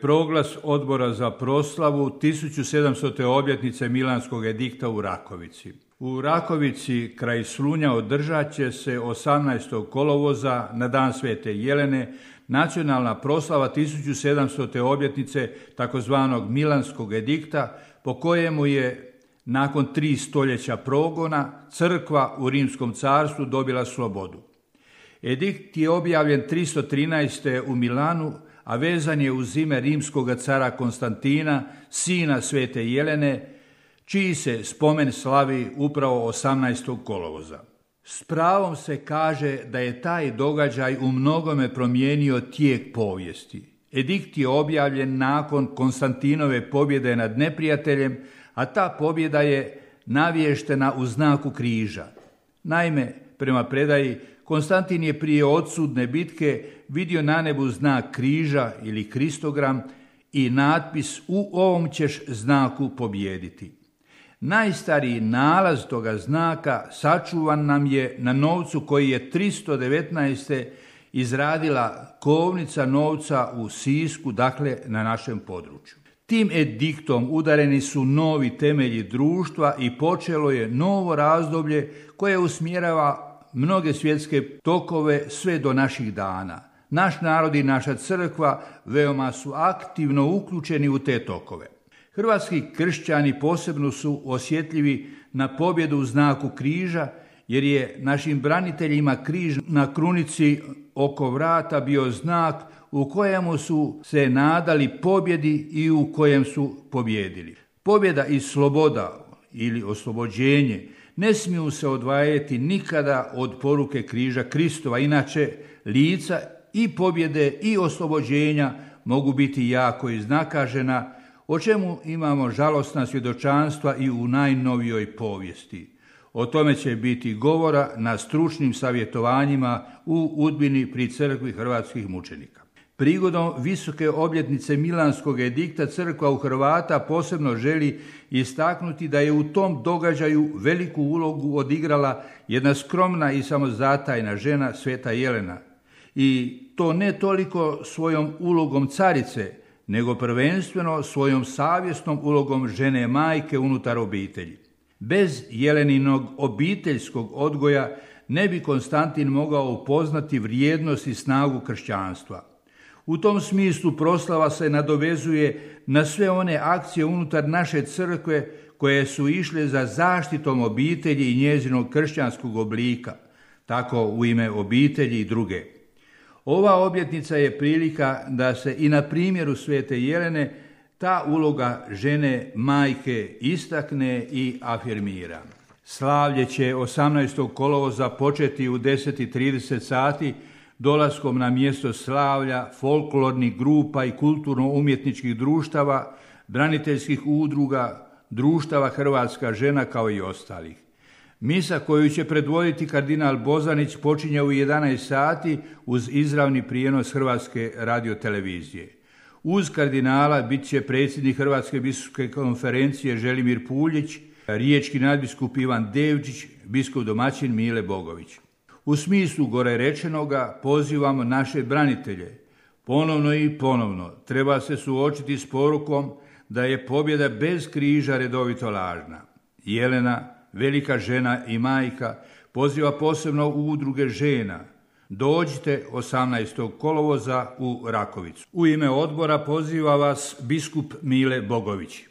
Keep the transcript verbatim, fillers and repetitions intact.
Proglas odbora za proslavu tisuću sedamstote obljetnice Milanskog edikta u Rakovici. U Rakovici kraj Slunja održat će se osamnaestog kolovoza na dan Svete Jelene nacionalna proslava tisuću sedamstote obljetnice takozvanog Milanskog edikta, po kojemu je nakon tri stoljeća progona crkva u Rimskom carstvu dobila slobodu. Edikt je objavljen tristo trinaeste. u Milanu, a vezan je uz ime rimskog cara Konstantina, sina Svete Jelene, čiji se spomen slavi upravo osamnaestog kolovoza. S pravom se kaže da je taj događaj u mnogome promijenio tijek povijesti. Edikt je objavljen nakon Konstantinove pobjede nad neprijateljem, a ta pobjeda je navještena u znaku križa. Naime, prema predaji, Konstantin je prije odsudne bitke vidio na nebu znak križa ili kristogram i natpis "U ovom ćeš znaku pobijediti". Najstariji nalaz toga znaka sačuvan nam je na novcu koji je tristo devetnaeste. izradila kovnica novca u Sisku, dakle na našem području. Tim ediktom udareni su novi temelji društva i počelo je novo razdoblje koje usmjerava mnoge svjetske tokove sve do naših dana. Naš narod i naša crkva veoma su aktivno uključeni u te tokove. Hrvatski kršćani posebno su osjetljivi na pobjedu u znaku križa, jer je našim braniteljima križ na krunici oko vrata bio znak u kojemu su se nadali pobjedi i u kojem su pobjedili. Pobjeda i sloboda ili oslobođenje ne smiju se odvajati nikada od poruke križa Kristova, inače lica i pobjede i oslobođenja mogu biti jako iznakažena, o čemu imamo žalosna svjedočanstva i u najnovijoj povijesti. O tome će biti govora na stručnim savjetovanjima u Udbini pri crkvi hrvatskih mučenika. Prigodom visoke obljetnice Milanskog edikta crkva u Hrvata posebno želi istaknuti da je u tom događaju veliku ulogu odigrala jedna skromna i samozatajna žena, Sveta Jelena. I to ne toliko svojom ulogom carice, nego prvenstveno svojom savjesnom ulogom žene majke unutar obitelji. Bez Jeleninog obiteljskog odgoja ne bi Konstantin mogao upoznati vrijednost i snagu kršćanstva. U tom smislu proslava se nadovezuje na sve one akcije unutar naše crkve koje su išle za zaštitom obitelji i njezinog kršćanskog oblika, tako u ime obitelji i druge. Ova obljetnica je prilika da se i na primjeru Svete Jelene ta uloga žene majke istakne i afirmira. Slavlje će osamnaestog kolovoza početi u deset i trideset sati dolaskom na mjesto slavlja folklornih grupa i kulturno-umjetničkih društava, braniteljskih udruga, društava Hrvatska žena kao i ostalih. Misa koju će predvoditi kardinal Bozanić počinje u jedanaest sati uz izravni prijenos Hrvatske radiotelevizije. Uz kardinala bit će predsjednik Hrvatske biskupske konferencije Želimir Puljić, riječki nadbiskup Ivan Devčić, biskup domaćin Mile Bogović. U smislu gore rečenoga pozivamo naše branitelje. Ponovno i ponovno treba se suočiti s porukom da je pobjeda bez križa redovito lažna. Jelena, velika žena i majka, poziva posebno u udruge žena. Dođite osamnaestog kolovoza u Rakovicu. U ime odbora poziva vas biskup Mile Bogović.